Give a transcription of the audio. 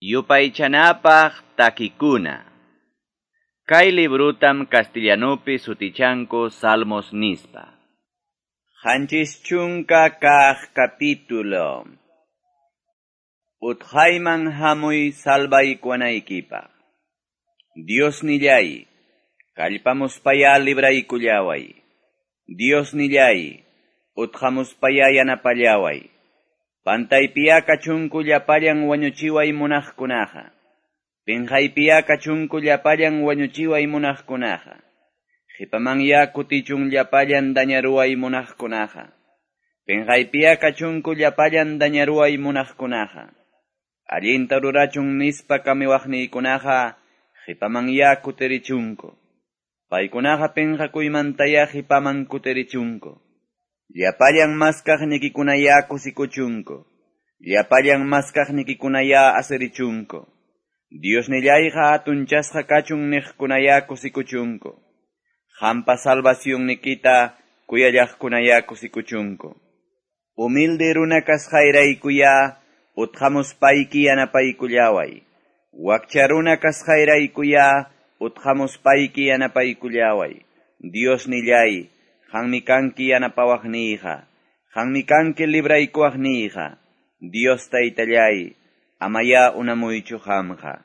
Yupaychanapaq takikuna. Kay librutam castellanupi sutichanku Salmos nispa. 70 kaq capítulo. Utqayman hamuy salvaykuwanaykipaq. Diosnilláy, kallpamuspayá libraykullaway. Diosnilláy, utqamuspayá yanapallaway. Pantaypiyá kachunku llapallan wañuchiway munaqkunaqa. Pinqaypiyá kachunku llapallan wañuchiway munaqkunaqa. Qhipamanyá kutichun llapallan dañaruway munaqkunaqa. Pinqaypiyá kachunku llapallan dañaruway munaqkunaqa. Allinta rurachun nispa kamiwaqniykunaqa qhipamanyá kutirichunku. Paykunaqa pinqakuymantayá qhipaman kutirichunku. Llapallan maskaqnikikunayá kusikuchunku. Llapallan maskaqnikikunayá asirichunku. Diosnillayqa hatunchasqa kachun niqkunayá kusikuchunku. Qampa salvacionnikita kuyallaqkunayá kusikuchunku. Humilde runa kasqayraykuyá utqamuspayki yanapaykullaway. Wakcha runa kasqayraykuyá utqamuspayki yanapaykullaway. Diosnilláy, qammi kanki yanapawaqniyqa. Qammi kanki libraykuwaqniyqa. Dios taytalláy, amayá unamuychu qamqa.